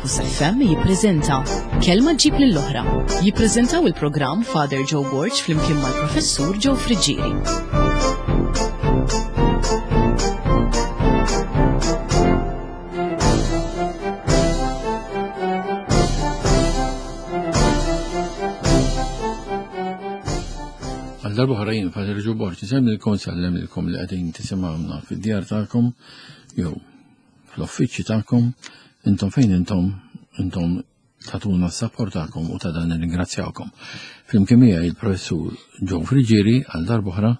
Campus FM jippreżenta Kelma ġib lill-oħra. Jippreżentaw il-programm Father Joe Borg flimkien mal-Professur Joe Friggieri. Għal darba oħra jien Father Joe Borg, insellmilkom nsellem li qegħdin tisimgħuna fid-djar tagħkom jew fl-uffiċċji tagħkom, intom fejn intom, intom tatuna s-sapport tagħkom u ta' dan nirringrazzjawkom. Flimkien miegħi il-professur Joe Friġieri għal darb'oħra,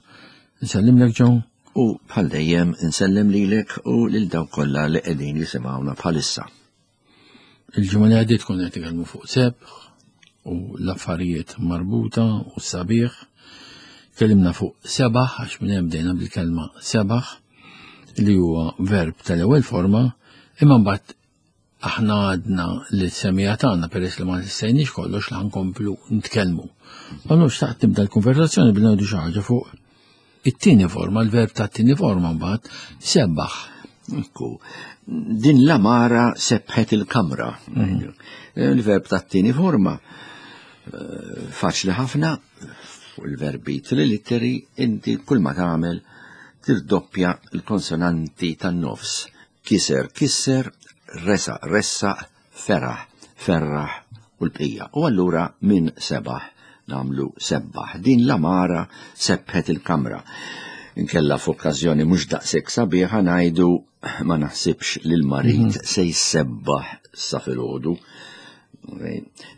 nsellimlek Joe. U bħal dejjem insellem lilek u lil dawk kollha li qegħdin jisimgħuna bħalissa. Il-ġimgħa li għaddiet konna qed nitkellmu fuq sebħ u l-affarijiet marbuta u s-sabiħ. Tkellimna fuq sebaħ għax minn hemm bdejna bil-kelma sebaħ li huwa verb tal-ewwel forma, imma mbagħad aħna għadna li semija tagħna peress li ma nistejniex kollox li ħankomplu nitkellmu. Allura xtaqt nibda l-konversazzjoni billi ngħidu xi ħaġa fuq it-tieni forma, l-verb ta' tieni forma mbagħad sebbaħ. Ekku, din l-amara sebħet il-kamra. Mhm. Il-verb ta' tieni forma eh, faċli ħafna fuq il-verbi trilitteri inti kull ma tagħmel tirdoppja l-konsonanti tan-nofs. Kiser, kisser, resa, ressaq, feraħ, ferraħ u l-bqija. U allura minn sebaħ nagħmlu sebbaħ. Din l-amara sebħet il-kamra. Inkella f'okkażjoni mhux daqshekk sabiħa ngħidu ma naħsibx li l-marid mhm. se jsebbaħ sa filgħodu.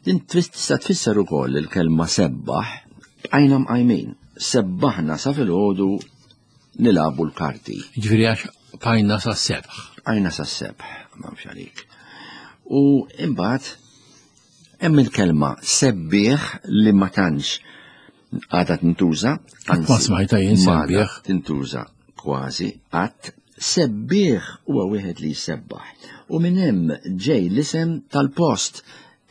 Din tista' tfisser ukoll il-kelma sebbaħ bqajna mqajmin. Sebbaħna sa filgħodu nilagħbu l-karti. Ġifieri għax bqajna sa sebħ. Bqajna sa sebħ, m'hemmx għalik. U imbagħad hemm il-kelma sebbieħ li ma tantx għadha tintuża. Ma smajta jien sebbieħ. Tintuża kważi qatt. Sebbieħ huwa wieħed li jsebbaħ. U minn hemm ġej l-isem tal-post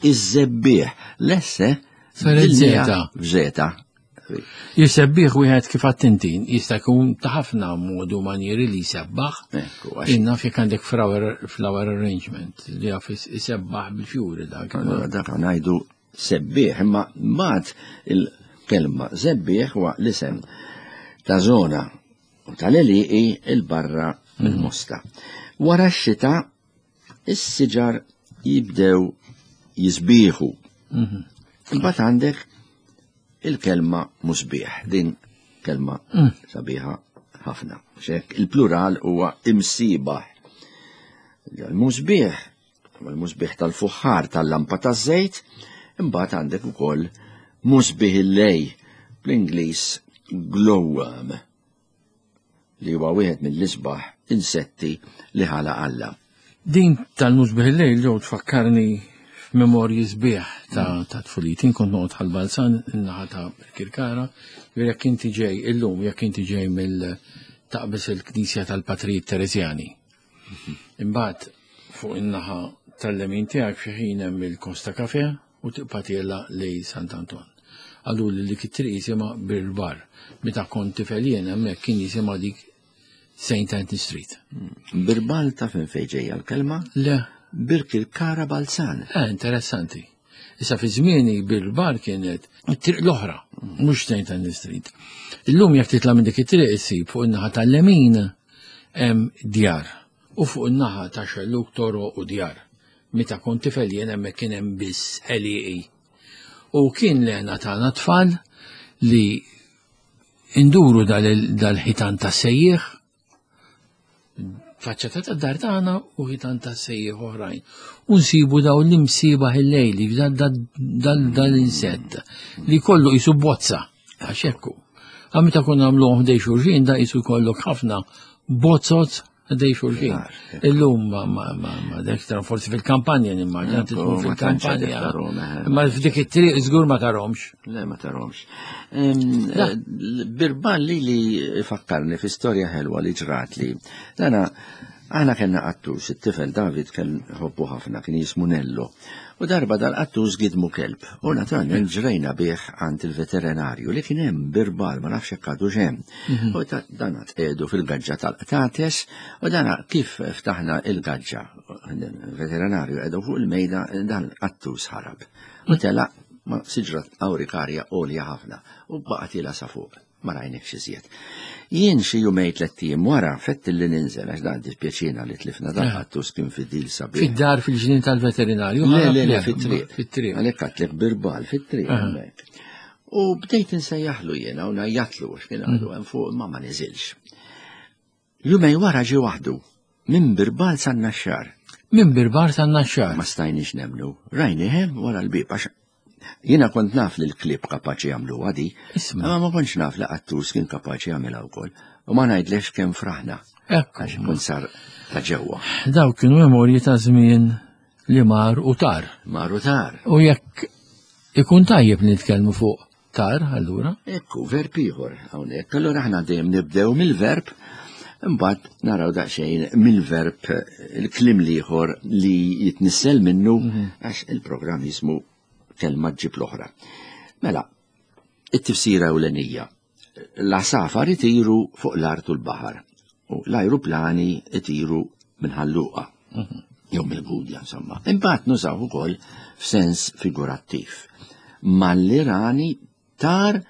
iż-żebbieħ. Lesse Saret zeta. F'żeta. Jisebbiħ wieħed kif għattintin, jista' jkun ta' ħafna modu manjeri li jsebbaħ. Inna jekk għandek flower, flower arrangement li jaf isebbaħ bil-fjuri dak. Dak ngħidu Sebbieħ, imma mbagħad il-kelma żebbieħ huwa l-isem ta' żona u tal-għelieqi 'il barra mill-Mosta. Wara x-xita is-siġar jibdew jisbieħu. Mhm. Imbagħad għandek il-kelma musbieħ, din kelma mm. sabiħa ħafna. Xek il-plural huwa imsibaħ. Il-musbieħ Mal-musbieħ tal-fuħħar tal-lampa taż-żejt, imbagħad għandek ukoll musbieħ il-lej bl-Ingliż glowworm li huwa wieħed mill-isbaħ insetti li ħala Alla. Din tal-musbieħ il-lejl ġew tfakkarni f'memorji sbieħ ta' mm. ta' tfuliti. Kont noqgħod ħal-Balzan in-naħa ta' Kirkara, jekk inti ġej illum, jekk inti ġej mill taqbis il-Knisja tal-Patrijiet Teresjani. Imbagħad fuq in-naħa tal-lemin tiegħek fi ħin hemm il-Costa Cafe u tibqa' tiela lej Sant'Anton. Għalu li dik it-triq jisimha Birbar. Meta kont tifel jien hemmhekk kien jisimha dik St. Anthony Street. Birbal ta' fejn fejn ġejja l-kelma? Le. Birkirkara Balzan. Eh, interessanti. Issa fi żmieni Birbar kienet it-triq l-oħra, mhux St. Anthony Street. Illum jekk titla' minn dik it-triq issib fuq in-naħa tal-lemin hemm djar u fuq in-naħa ta' xellug toroq u djar. Meta kont tifel jien hemmhekk kien hemm biss għelieqi. U kien l-hena tagħna tfal li induru dal-ħitan ta' sejjieħ faċċata ta' dar tagħna u ħitan ta' sejjieħ oħrajn. U nsibu daw l-imsibaħ il-lejli, dal-insett li kollu jisu bozza, għax hekk hu. Għam meta konna nagħmluhom ħdej xulxin da jisu jkollok ħafna bozzot ħdej xulxin. Illum ma ma ma ma dak forsi fil-kampanja nimmaġina tkun fil-kampanja. Eh. Ma f'dik it-triq żgur ma tarhomx. Le ma tarhomx. Eh, Birban li li fakkarni fi storja ħelwa li ġrat li. Dana. Aħna kellna qattus, it-tifel David kien ħobbu ħafna, kien jismu Nello. U darba dal-qattus gidmu kelb. U naturalment ġrejna bih għand il-veterinarju li kien hemm birbal, ma nafx hekk għadu hemm. Mhm. U dan tqedu fil-gaġġa tal-qtates u dan kif ftaħna il-gaġġa, veterinarju qedu fuq il-mejda dan qattus ħarab. U telaq ma' siġra awrikarja għolja ħafna u baqa' tiela sa fuq. Ma rajnikx iżjed. Jien xi jumej tlett ijiem wara fett li ninżel għax dan dispjaċina li tlifna dan eh. qattus kien fidil sabiħ. Fid-dar fil-ġnien tal-veterinarju? Le, le, le, fit-triq. Fit-triq. Għalhekk għadtlek birbal fit-triq eh. hemmhekk. U bdejt insejjaħlu jiena u ngħajjatlu għax kien għadu mm. hemm fuq ma ma niżilx. Jumej wara ġie waħdu, minn Birbal san-Naxxar. Minn Birbal san-Naxxar. Ma stajniex nemmnu. Rajnih hemm wara l-bieb għax jiena kont naf li l-klieb kapaċi jagħmluha di. Imma ma kontx naf li qattus kien kapaċi jagħmilha wkoll. U ma ngħidlekx kemm fraħna. Ekku. Għax kont sar ta' ġewwa. Dawk kienu memorji ta' żmien li mar u tar. Mar u tar. U jekk ikun tajjeb nitkellmu fuq Tar, allura? Ekku, verb ieħor hawnhekk. Allura aħna dejjem nibdew mill-verb, imbagħad naraw daqsxejn mill-verb il-kliem l-ieħor li jitnissel minnu mhm. għax il-programm jismu kelma ġib l-oħra. Mela, it-tifsira ewlenija. L-għasafar itiru fuq l-art u l-baħar u l-ajruplani itiru minn ħalluqa. Mhm. Jew mill-gudja, insomma. Imbagħad nużaw ukoll f'sens figurattiv. Malli tar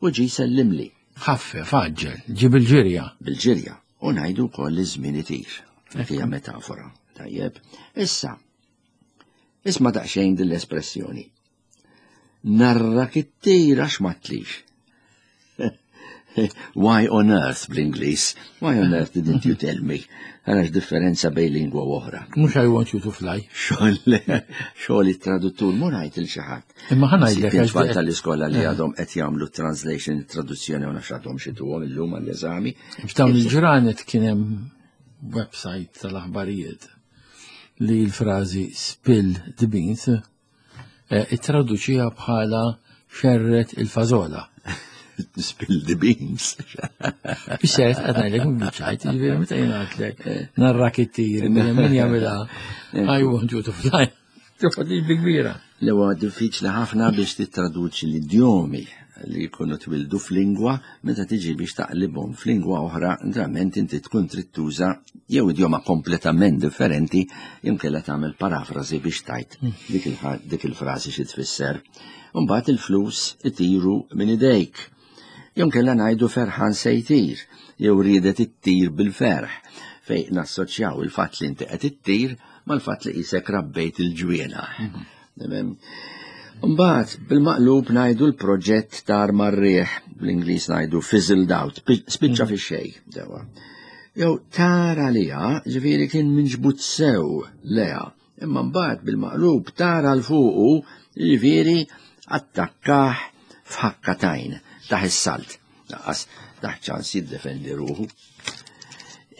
u ġi sellimli. Ħaffe, faġġel, ġi bil-ġirja. Bil-ġirja. U ngħidu wkoll li żmien itir. Hija metafora. Tajjeb. Issa, isma' daqsxejn din l-espressjoni. Narrak it-tir għax ma tlix. Why on earth bl-Ingliż? Why on earth didn't you tell me? Għalax differenza bej lingwa u oħra. Mhux I want you to fly. Xogħol it-traduttur mur ngħid il xi ħadd. Imma ħa ngħidlek għax tfal tal-iskola li eh. għadhom qed jagħmlu translation, traduzzjoni u nafx għadhom xi tuhom illum għall-eżami. F'dawn il-ġranet kien hemm website tal-aħbarijiet li l-frażi spill the beans Eh, ittraduċiha bħala xerret il-fażola. Spill the beans. Bixxert, qed ngħidlek mhux biċċajt, jiġifieri meta jingħadlek narrak it-tir, min jagħmilha I want you to fly. Toħodli bi kbira. Li huwa diffiċli ħafna biex tittraduċi l-idjomi li jkunu twildu f'lingwa meta tiġi biex taqlibhom f'lingwa oħra, naturalment inti tkun trid tuża jew idjoma kompletament differenti imkella tagħmel parafrażi biex tajt hmm. dik il-frażi xi tfisser. Imbagħad il-flus itiru minn idejk. Jew kella ngħidu ferħan se jtir, jew riedet ittir bil-ferħ, fej nassoċjaw il-fatt li inti qed ittir mal-fatt li qisek rabbejt il-ġwiena. Hmm. Mbagħad bil-maqlub ngħidu l-proġett tar mar-riħ, bl-Ingliż ngħidu fizzled out, spiċċa mm. fix-xejn dewa. Jew tar għaliha, ġifieri kien minġbud sew leha, imma mbagħad bil-maqlub tar għal fuqu, ġifieri attakkah f'ħakkatajn taħ is-salt. Laqas taħ ċans jiddefendi ruħu.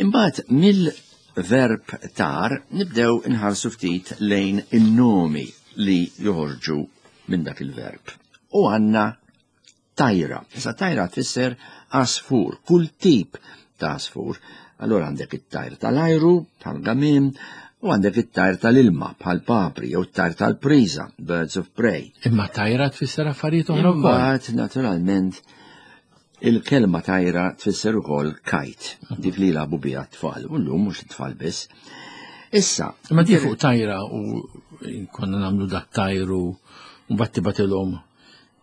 Imbagħad mill-verb tar nibdew inħarsu ftit lejn in-nomi li joħorġu minn dak il-verb. U għandna tajra. Issa tajra tfisser għasfur, kull tip ta' għasfur. Allora għandek it-tajr tal-ajru, bħal gamim, u għandek it-tajr tal-ilma bħal papri jew it-tajr tal-priża, birds of prey. Imma tajra tfisser affarijiet oħra wkoll. Imbagħad naturalment il-kelma tajra tfisser ukoll kajt, dik li jilagħbu biha t-tfal, u llum mhux it-tfal biss. Issa. Imma di fuq tajra u konna nagħmlu dat tajru u mbagħad tibatilhom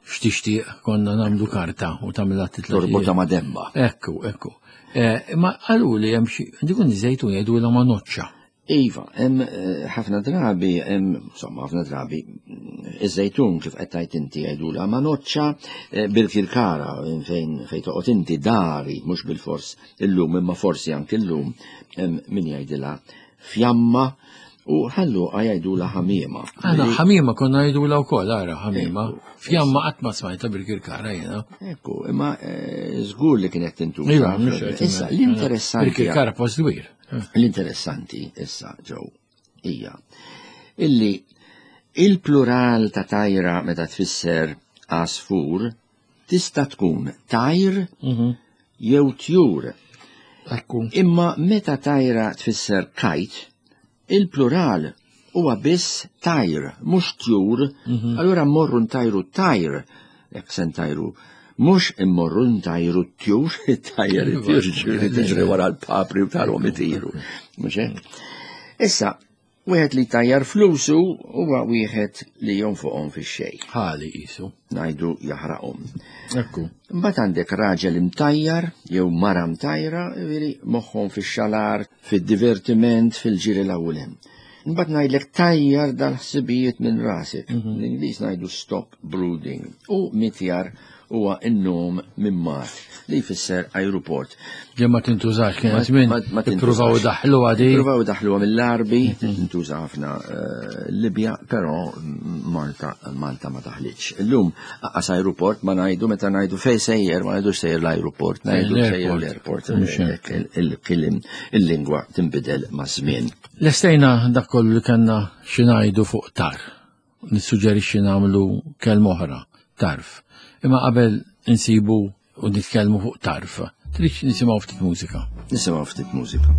x'tixtieq konna nagħmlu karta u tagħmilha titla. Torbota ma' demba. Ekku, ekku. Eh, imma qalu li hemm xi dikun żejtun jgħidulha ma' noċċa. Iva, hemm eh, ħafna drabi, hemm insomma ħafna drabi, iż-żejtun kif qed tgħid inti jgħidulha ma' noċċa eh, bil-kirkara fejn fejn toqgħod inti dari, mhux bil-fors illum imma forsi anke illum hemm min jgħidilha fjamma u ħalluqa jgħidulha ħamiema. Għana ħamiema konna jgħidulha wkoll ara ħamiema. Fjamma qatt ma smajta bil-kirkara jiena. Ekku, imma eh, żgur li kienet tintuża. Iva, mhux Issa l-interessanti. Bil-kirkara post dwir. L-interessanti issa ġew hija illi il-plural ta' tajra meta tfisser għasfur tista' tkun tajr mhm. jew tjur. Ekku. Imma meta tajra tfisser kajt, il-plural huwa biss tajr, mhux tjur, allura mmorru ntajru tajr, jekk se ntajru, mhux immorru ntajru tjur, tajr tjur ġifieri tiġri wara l-papri u tarhom itiru. Mhux hekk? Issa, wieħed li tajjar flusu huwa wieħed li jonfoqhom fix-xejn. Ħali qisu. Ngħidu jaħraqhom. Ekku. Mbagħad għandek raġel imtajjar jew mara mtajra, jiġifieri moħħhom fix-xalar, fid-divertiment, fil-ġiri l-ewwel hemm. Mbagħad ngħidlek tajjar dal-ħsibijiet minn rasek. L-Ingliż ngħidu stop brooding. U mitjar huwa n-nom minn mat li jfisser aeroport. Li ma tintużax kienet minn Ma tintużax. ippruvaw daħlu għadi. Ippruvaw daħluha mill-Arbi, tintuża ħafna Libja, però Malta ma taħlitx. Illum aqas aeroport ma ngħidu meta ngħidu fejn sejjer, ma ngħidux sejjer l-aeroport, ngħidu sejjer l-airport. Mhux hekk. Il-kliem, il-lingwa tinbidel maż-żmien. Lestejna dak kollu li kellna xi ngħidu fuq tar. Nissuġġerixxi nagħmlu kelma oħra, tarf. Imma qabel insibu u nitkellmu fuq tarf, trid nisimgħu ftit mużika. Nisimgħu ftit mużika.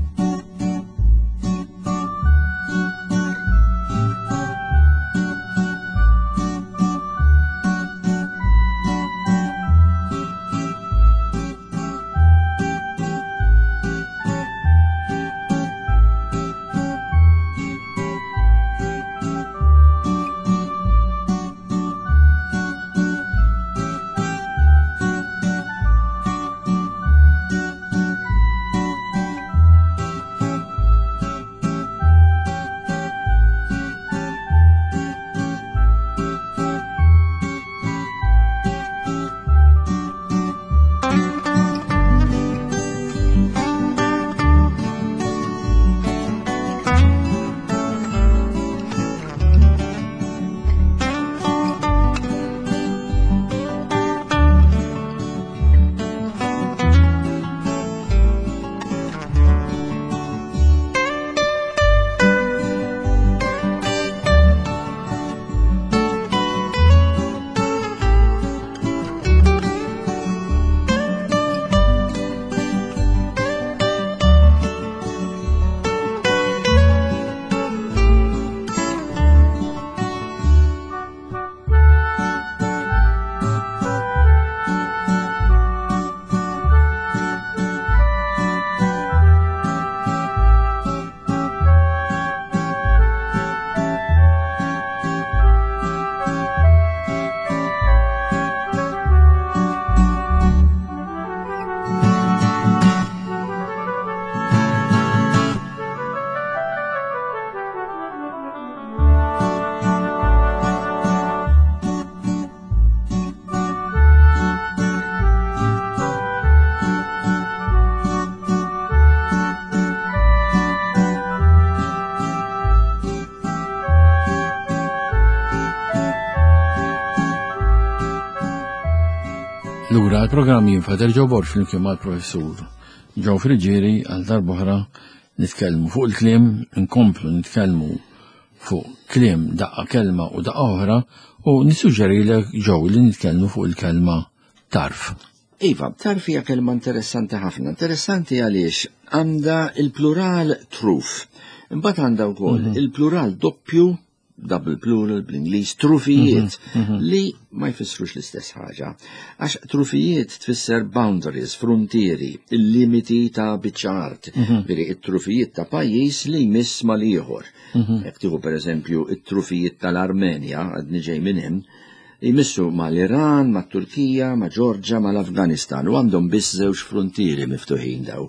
Lura l-programm jien Father Joe Borg flimkien mal-professur Joe Friggieri għal darb'oħra nitkellmu fuq il-kliem, inkomplu nitkellmu fuq kliem daqqa kelma u daqqa oħra u nissuġġerilek Joe li nitkellmu fuq il-kelma tarf. Iva, tarf hija kelma interessanti ħafna. Interessanti għaliex għandha il-plural truf. Imbagħad għandha wkoll il-plural doppju, double plural bl-Ingliż, trufijiet, li ma jfissrux l-istess ħaġa. Għax trufijiet tfisser boundaries, frontieri, il-limiti ta' biċċa art, veri it-trufijiet ta' pajjiż li jmiss mal-ieħor. Jekk tieħu pereżempju it-trufijiet tal-Armenja, għadni ġej minn hemm, jmissu mal-Iran, mat-Turkija, ma' Ġorġa, mal-Afganistan, u għandhom biss żewġ frontieri miftuħin daw,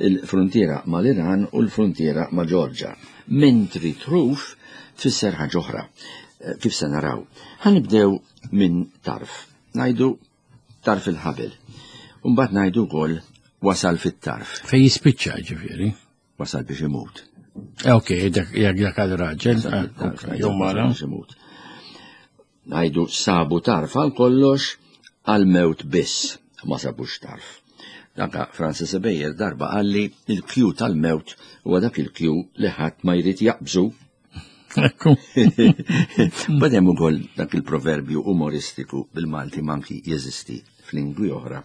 il-frontiera mal-Iran u l-frontiera ma' Ġorġa. Mentri truf tfisser ħaġa oħra, kif se naraw. Ħanibdew minn tarf. Ngħidu tarf il-ħabel. U mbagħad ngħidu wkoll wasal fit-tarf. Fejn jispiċċa ġifieri? Wasal biex imut. Ok, jekk dak għal raġel, Wasal fit-tarf, ok, jew mara. Wasal biex imut. Ngħidu sabu tarf għal kollox għal mewt biss, ma sabux tarf. Danka Francis Ebejer darba qalli il-kju tal-mewt huwa dak il-kju li ħadd ma jrid jaqbżu. Ekku. Bad hemm ukoll dak il-proverbju umoristiku bil-Malti manki jeżisti f'lingwi oħra.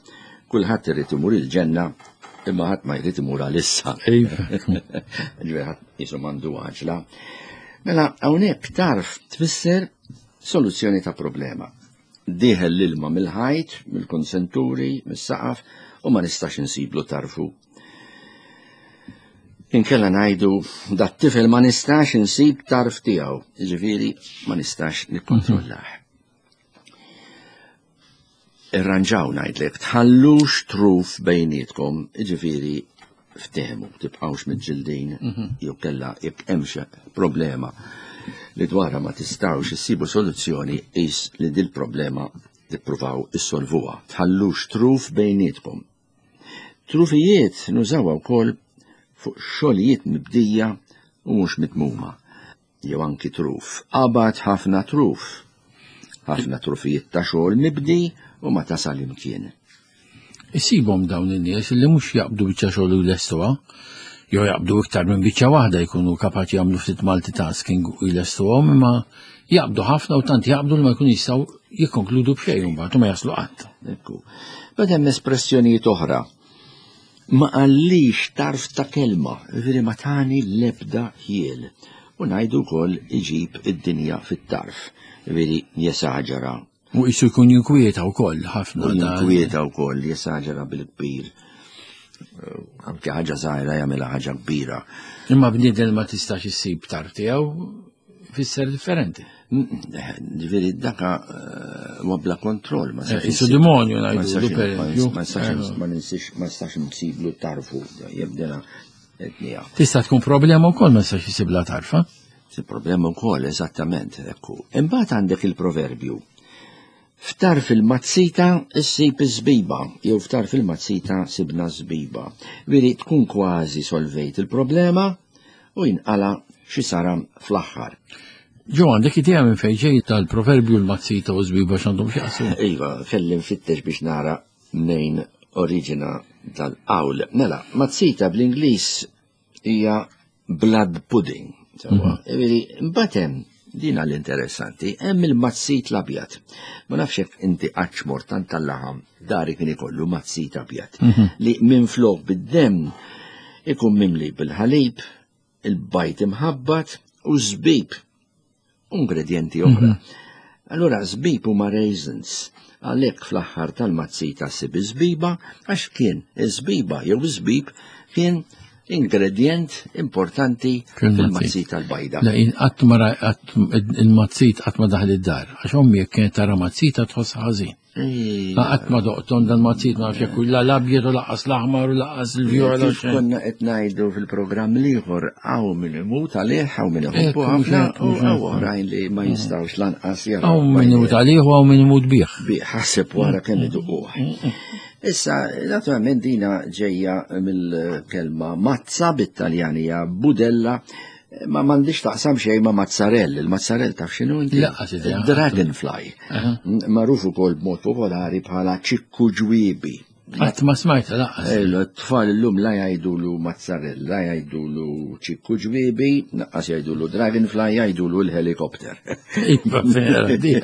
Kulħadd irid imur il-ġenna Imma ħadd ma jrid imur għalissa. Iva. Ġifieri ħadd qisu m'għandu għaġla. Mela hawnhekk tarf tfisser soluzzjoni ta' problema. Dieħel l-ilma mill-ħajt, mill-konsenturi, mis-saqaf u ma nistax insiblu tarfu. Inkella ngħidu dat tifel ma nistax insib tarf tiegħu, jiġifieri ma nistax nikkontrollah. Irranġaw ngħidlek, tħallux truf bejnietkom, jiġifieri ftehmu, tibqgħux miġġildin jew kella jekk hemm xi problema li dwarha ma tistgħux issibu soluzzjoni qis li dil-problema tippruvaw issolvuha. Tħallux truf bejnietkom. Trufijiet nużawha wkoll fuq xogħlijiet mibdija u mhux mitmuma. Jew anki truf. Qabad ħafna truf. Ħafna trufijiet ta' xogħol mibdi u ma tasal imkien. Isibhom dawn in-nies li mhux jaqbdu biċċa xogħol u jlestuha, jew jaqbdu iktar minn biċċa waħda jkunu kapaċi jagħmlu ftit multitasking u jlestuhom, imma jaqbdu ħafna u tant jaqbdu li ma jkunu jistgħu jikkonkludu b'xejn imbagħad u ma jaslu qatt. Ekku. Bad hemm espressjonijiet oħra. Ma qallix tarf ta' kelma, jiġifieri ma tani l-ebda ħjiel. U ngħidu wkoll iġib id-dinja fit-tarf, jiġifieri jesaġera. U qisu jkun jinkwieta wkoll ħafna. U jinkwieta wkoll, jesaġera bil-kbir. Anke ħaġa żgħira jagħmilha ħaġa kbira. Imma bniedem ma tistax issib tarf tiegħu fisser differenti. Ġifieri daka eh, huwa bla kontroll. Ma eh, Isu demonju ngħidu per eżempju. Ma nistax nsiblu tarfu jibdela etnija. Tista' tkun problema wkoll ma nistax isibla tarfa. Si problema wkoll eżattament, ekku. Imbagħad għandek il-proverbju. Ftar fil-mazzita issib iż-żbiba, jew ftar fil-mazzita sibna żbiba. Veri tkun kważi solvejt il-problema u jinqala xi saram fl-aħħar. Ġo, għandek idea minn fejn ġej tal-proverbju l-mazzita u żbiba x'għandhom x'jaqsmu? Iva, kelli nfittex biex nara mnejn oriġina tal-qawl. Mela, mazzita bl-Ingliż hija blood pudding. Mhm. Ġifieri, mbagħad hemm din l-interessanti, hemm il-mazzit l-abjad. Ma nafx jekk inti qatt mort tant tal-laħam dari kien ikollu mazzit abjad mhm. li minflok bid-demm ikun mimli bil-ħalib, il-bajt imħabbat u żbib ingredjenti oħra. Mhm. Allura żbib huma raisins. Għalhekk fl-aħħar tal-mazzita ssib iż-żbiba għax kien iż-żbiba jew iż-żbib kien ingredjent importanti fil-mazzita l-bajda. La qatt ma il-mazzit qatt ma daħal id-dar, għax ommi jekk kienet tara mazzita tħoss ħażin. Qatt ma doqtom dan mazzit ma nafx jekk la l-abjad u laqqas l-aħmar u laqqas il-vjola. Kif konna qed ngħidu fil-programm l-ieħor hawn min imut għalih, hawn min iħobbu ħafna u hawn oħrajn li ma jistgħux lanqas jaraw. Hawn min imut għalih u hawn min imut bih. Bih ħaseb wara kemm iduquh. Issa, naturalment dina ġejja mill-kelma mazza bit-Taljan hija budella ma m'għandix taqsam xejn ma' mazzarell. Il-mazzarell taf x'inhu inti? Laqqas idea. Dragonfly. Magħruf ukoll b'mod popolari bħala ċikku ġwiebi. Qatt ma smajta laqqas. It-tfal illum la jgħidulu mazzarell, la jgħidulu ċikku ġwiebi, laqqas jgħidulu dragonfly, jgħidulu l-helikopter. Iva, vera, di.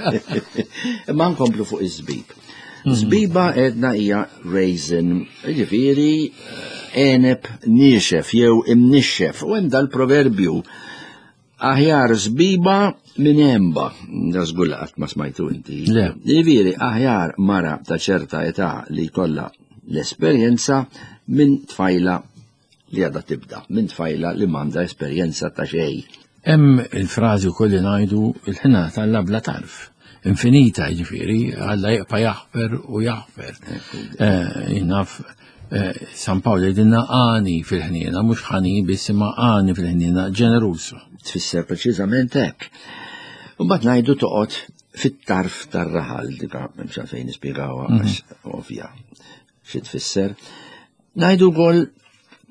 Imma nkomplu fuq iż-żbib. Żbiba għedna hija raisin, jiġifieri għeneb niexef jew imnixxef. U hemm dal-proverbju aħjar żbiba minn għenba. Da żgur li qatt ma smajtu inti. Le. Jiġifieri aħjar mara ta' ċerta età li jkollha l-esperjenza minn tfajla li għadha tibda, minn tfajla li m'għandha esperjenza ta' xejn. Hemm il-frażi wkoll li ngħidu il-ħna tal bla tarf. Infinita, jiġifieri, Alla jibqa' jaħfer u jaħfer. Eh, naf eh, San Pawl jgħidilna għani fil-ħniena, mhux ħani biss imma għani fil-ħniena, ġeneruż. Tfisser preċiżament hekk. U mbagħad ngħidu toqgħod fit-tarf tar-raħal, dika m'hemmx għalfejn nispjegawha mhm. għax ovvja xi tfisser. Ngħidu wkoll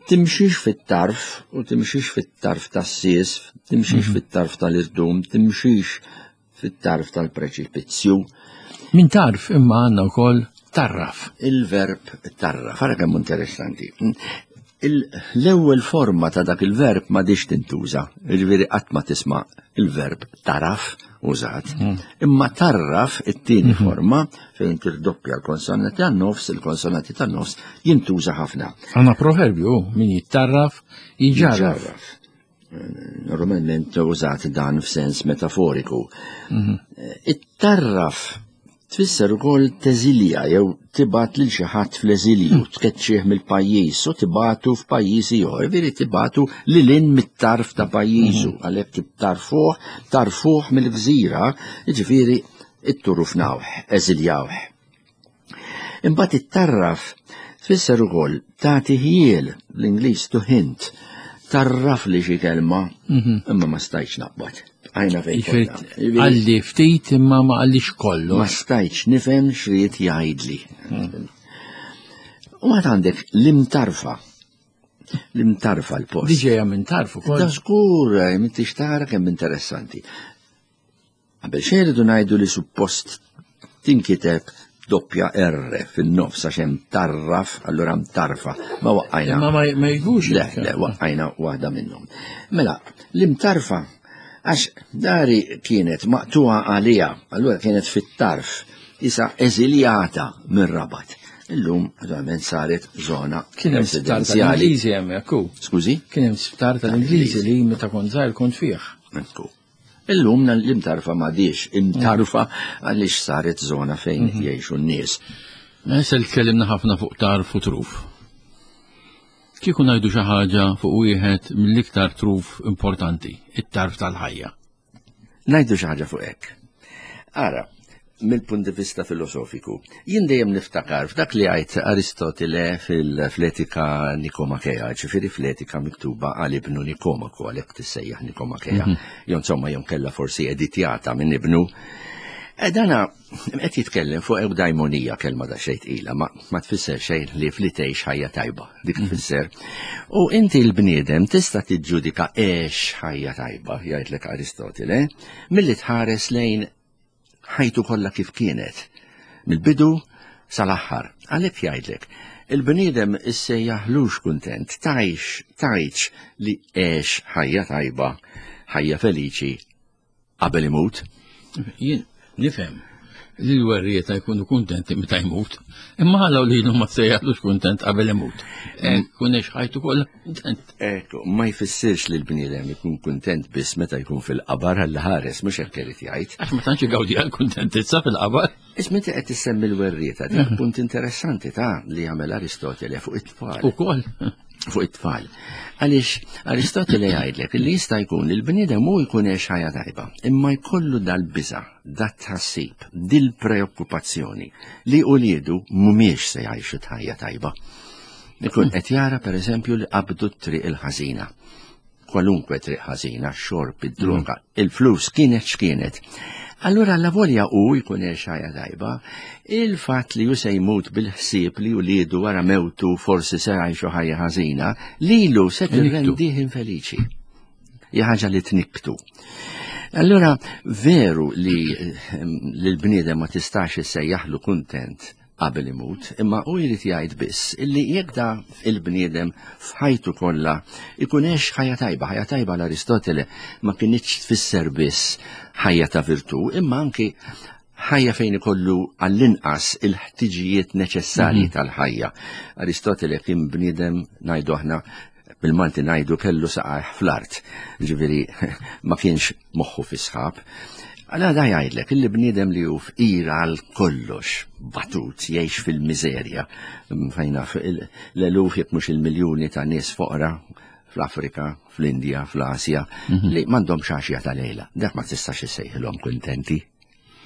timxix fit-tarf u timxix fit-tarf tas-sies, timxix mhm. fit-tarf tal-irdum, timxix fit-tarf tal-preċipizzju. Min tarf imma għandna wkoll tarraf. Il-verb tarraf, ara kemm interessanti. L-ewwel forma ta' dak il-verb ma dix tintuża, jiġifieri qatt ma tisma' il-verb taraf. użat. Imma tarraf it-tieni forma fejn tirdoppja l-konsonanti tan-nofs, il-konsonanti tan-nofs jintuża ħafna. Għandna proverbju, min jittarraf, jġarraf. Normalment użat dan f'sens metaforiku. It-tarraf tfisser ukoll teżilja jew tibgħat lil xi ħadd fl-eżilju, tkeċċih mill-pajjiż u tibgħatu f'pajjiż ieħor, jiġifieri tibgħatu lil hinn mit-tarf ta' pajjiżu, għalhekk tarfuh, tarfuh mill-gżira, jiġifieri itturufnawh, eżiljawh. Imbagħad it-tarraf tfisser ukoll tagħti ħjiel, bl-Ingliż to hint, tarraf li xi kelma, imma ma stajtx naqbad. Għajna fejn konna. Għalli ftit imma ma għallix kollu. Ma stajtx nifhem x'ried jgħidli. U għad għandek l-imtarfa. L-imtarfa l-post. Diġeja minn tarf ukoll. Da żgur, m'intix tara kemm interessanti. Qabel xejn rridu ngħidu li suppost tinkiteb doppja R fin-nofs għax hemm tarraf, allura mtarfa. Ma waqqajna. Imma ma jgux. Le, le, waqqajna waħda minnhom. Mela, l-imtarfa għax dari kienet maqtuha għaliha, allura kienet fit-tarf, isa eżiljata mir-Rabat. Illum, naturalment, saret zona Kien hemm sptar residenzjali. tal-Ingliżi hemmhekk hu. Skużi? Kien hemm sptar tal-Ingliżi li meta kont żgħir kont fih. Ekku. Illum l-imtarfa m'għadix imtarfa għaliex saret zona fejn jgħixu n-nies. Issa li tkellimna ħafna fuq tarf u truf. Kieku ngħidu xi ħaġa fuq wieħed mill-iktar truf importanti, it-tarf tal-ħajja. Ngħidu xi ħaġa fuq hekk. Ara, mill-punt di vista filosofiku, jien dejjem niftakar f'dak li għajt Aristotile fil-Etika Nikomakea, ġifieri fl-Etika miktuba għal ibnu Nikomaku, għalhekk tissejjaħ Nikomakea, jew insomma jew kellha forsi editjata minn ibnu. Dana qed jitkellem fuq eudaimonija, kelma da xejn tqila, ma tfisser xejn li fli tgħix ħajja tajba, dik tfisser. U inti l-bniedem tista' tiġġudika għex ħajja tajba, jgħidlek Aristotile, milli tħares lejn ħajtu kollha kif kienet, mill-bidu sal-aħħar. Għalhekk jgħidlek, il-bniedem issejjaħlux kuntent, tgħix li għex ħajja tajba, ħajja feliċi qabel imut. Jien nifhem li l-werrieta jkunu kuntenti meta jmut, imma ħalaw li ma tsejjaħlux kuntent qabel imut. Kun għex ħajtu kollha kuntent. Ekku, ma jfissirx li l-bniedem ikun kuntent biss meta jkun fil-qabar għal ħares, mhux hekk irid jgħid. Għax ma tantx igawdi għal kuntentizza fil-qabar. Isma' inti qed tissemmi l-werrieta, dik punt interessanti ta' li jagħmel Aristotele fuq it-tfal. Ukoll. Fuq it-tfal. Għaliex Aristotele jgħidlek li jista' jkun li l-bniedem hu jkun għex ħajja tajba, imma jkollu dal-biża', dat-tħassib, dil-preokkupazzjoni li uliedu mhumiex se jgħixu ħajja tajba. Ikun qed jara pereżempju li qabdu t-triq il-ħażina. Kwalunkwe triq ħażina, xorb, id-droga, il-flus kienet x'kienet. Allura la volja u jkun għex ħajja tajba, il-fatt li hu se jmut bil-ħsieb li uliedu wara mewtu forsi se jgħixu ħajja ħażina, lilu se tirrendih infeliċi. Hija ħaġa li tniktu. Allura veru li l-bniedem ma tistax issejjaħlu kuntent qabel imut, imma hu jrid jgħid biss illi jekk da il-bniedem f'ħajtu kollha ikun għex ħajja tajba, ħajja tajba l Aristotele ma kinitx tfisser biss ħajja ta' virtù, imma anki ħajja fejn ikollu għall-inqas il-ħtiġijiet neċessarji tal-ħajja. Aristotele kien bniedem, ngħidu aħna, bil-Malti ngħidu kellu saqajh fl-art, ġifieri ma kienx moħħu fi sħab. Għala da jgħidlek illi bniedem li hu fqir għal kollox, batut, jgħix fil-miżerja, fejna l-eluf jekk mhux il-miljuni ta' nies foqra fl-Afrika, fl-Indja, fl-Asja, li m'għandhomx għaxja ta' lejla. Dak ma tistax issejħilhom kuntenti.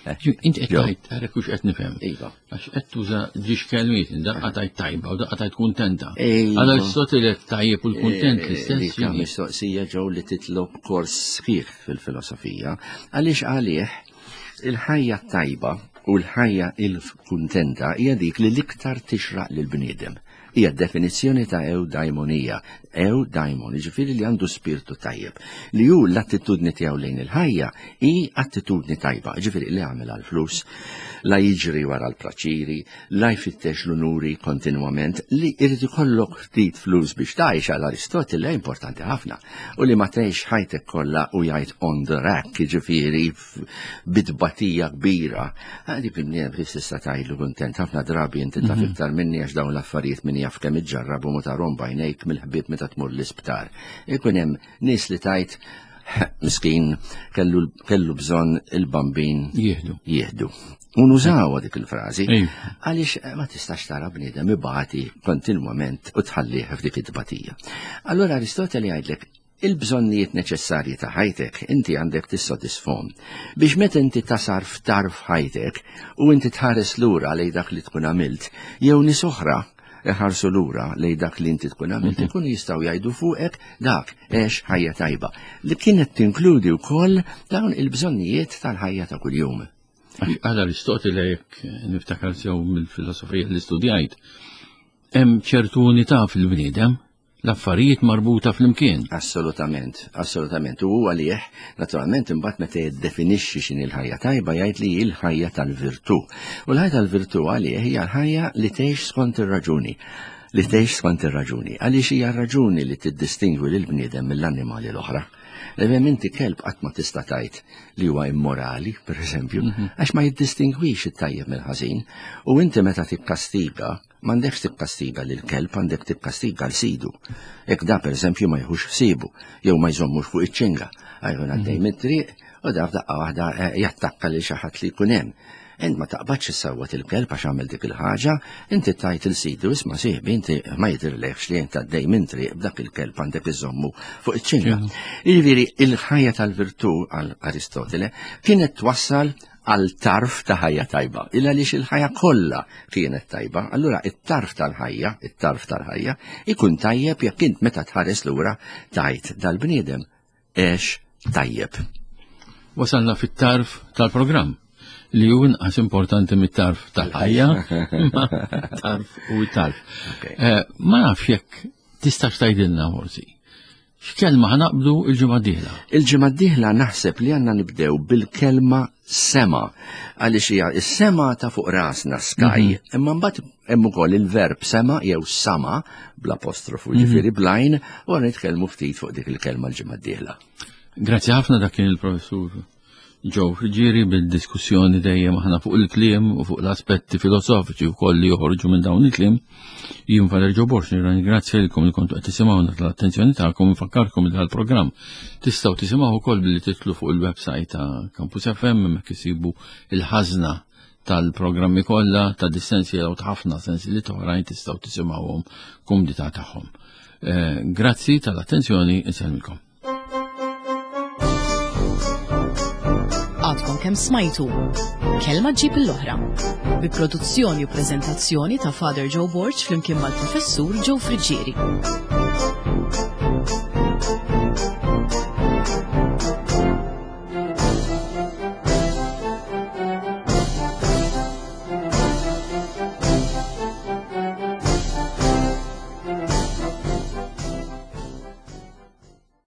Inti qed tgħid, ara kux qed nifhem. Iva. Għax qed tuża ġiex kelmiet, daqqa tajt tajba u daqqa tajt kuntenta. Iva. Għala Aristotele tajjeb u l-kuntent l-istess. Dik hija mistoqsija ġew li titlob kors sħiħ fil-filosofija, għaliex għalih il-ħajja tajba u l-ħajja il-kuntenta hija dik li l-iktar tixraq lill-bniedem. Hija definizzjoni ta' eudaimonija, eudaimon, jiġifieri li għandu spirtu tajjeb, li hu l-attitudni tiegħu lejn il-ħajja hi attitudni tajba, jiġifieri li għamel għall-flus, la jiġri wara l-praċiri, la jfittex l-unuri kontinwament, li irid ikollok ftit flus biex tgħix għal Aristotile importanti ħafna, u li ma tgħix ħajtek kollha u jgħid on the rack, jiġifieri bitbatija kbira. Ah, dik il-bniedem kif tista' tgħidlu kuntent ħafna drabi inti taf mhm. iktar minni għax dawn l-affarijiet min jaf kemm iġġarrab u ma tarhom bajnejk mill-ħbieb meta tmur l-isptar. Ikun hemm nies li tajt miskin kellu, kellu bżonn il-bambin jieħdu. Jieħdu. U nużawha dik il-frażi għaliex eh, ma tistax tara bniedem ibati kontinwament u tħallih f'dik it-tbatija. Allura Aristoteli jgħidlek Il-bżonnijiet neċessarji ta' ħajtek inti għandek tissodisfhom biex meta inti tasar f'tarf ħajtek u inti tħares lura lejn dak li tkun għamilt jew nies oħra iħarsu lura lejn dak li inti tkun għamilt mhm. ikunu jistgħu jgħidu fuqek dak għex ħajja tajba li kienet tinkludi wkoll dawn il-bżonnijiet tal-ħajja ta' kuljum. Għal Aristotile jekk niftakar sew mill-filosofija li studjajt, hemm ċertu unità fil-bniedem l-affarijiet marbuta flimkien. Assolutament, assolutament. U għalih, naturalment, imbagħad meta jiddefinixxi x'inhi l-ħajja tajba jgħid li hi l-ħajja tal-virtù. U l-ħajja tal-virtù għalih hija l-ħajja li tgħix skont ir-raġuni. Li tgħix skont ir-raġuni. Għaliex hija r-raġuni li tiddistingwi lill-bniedem mill-annimali l-oħra. Evem inti kelb qatt ma tista' tgħid li huwa immorali, per eżempju, mhm. għax ma jiddistingwix it-tajjeb mill-ħażin. U inti meta tikkastiga, M'għandekx tikkastiga lill-kelb, għandek tikkastiga 'l sidu. Jekk da pereżempju ma jieħux ħsiebu jew ma jżommux fuq iċ-ċinga, jkun għaddej mhm. mit-triq u da f'daqqa waħda eh, jattakka lil xi ħadd li jkun hemm. Int ma taqbadx issawwat il-kelb għax għamel dik il-ħaġa, inti tajt il-sidu isma' sieħbi inti ma jidhirlekx li int għaddej minn triq b'dak il-kelb għandek iżommu fuq iċ-ċinga. Jiġifieri il-ħajja tal-virtù għal Aristotele kienet twassal għal tarf ta' ħajja tajba. Illa għaliex il-ħajja kollha kienet tajba, allura it-tarf tal-ħajja, it-tarf tal-ħajja, ikun tajjeb jekk int meta tħares lura tajt dal-bniedem għex tajjeb. Wasalna fit-tarf tal-programm li hu inqas importanti mit-tarf tal-ħajja, tarf u tarf. Eh, ma nafx jekk tistax tgħidilna forsi. X'kelma ħa naqbdu il-ġimgħa d-dieħla? Il-ġimgħa d-dieħla naħseb li għandna nibdew bil-kelma sema għaliex hija s-sema ta' fuq rasna sky, mhm. imma mbagħad hemm ukoll il-verb sema jew sama bl-apostrofu mhm. ġifieri blajn u nitkellmu ftit fuq dik il-kelma l-ġimgħa d-dieħla. Grazzi ħafna dak kien il-professur Joe Friggieri bil-diskussjoni dejjem aħna fuq il-kliem u fuq l-aspetti filosofiċi wkoll li joħorġu minn dawn il-kliem. Jien Valer Joe Borx nirringrazzja lilkom li kontu qed tisimgħuna tal-attenzjoni tagħkom infakkarkom li dal-programm tistgħu tisimgħu wkoll billi titlu fuq il-website ta' Campus FM hemmhekk isibu il-ħażna tal-programmi kollha ta' dissensi jew ta' ħafna sensi li oħrajn tistgħu tisimgħuhom kumdità tagħhom. Eh, grazzi tal-attenzjoni, insellmilkom. Għadkom kemm smajtu. Kelma ġib l-oħra. Bi produzzjoni u preżentazzjoni ta' Father Joe Borg flimkien mal-Professur Joe Friggieri.